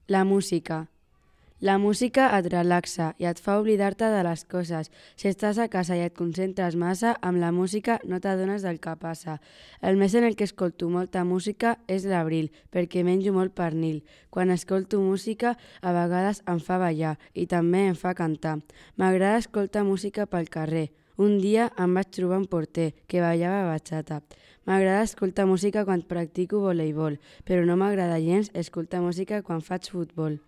La música. La música et relaxa i et fa oblidar-te de les coses. Si estàs a casa i et concentres massa, amb la música no t'adones del que passa. El mes en el que escolto molta música és l'abril, perquè menjo molt pernil. Quan escolto música, a vegades em fa ballar i també em fa cantar. M'agrada escoltar música pel carrer. Un dia em vaig trobar un porter que ballava bachata. M'agrada escoltar música quan practico voleibol, però no m'agrada gens escoltar música quan faig futbol.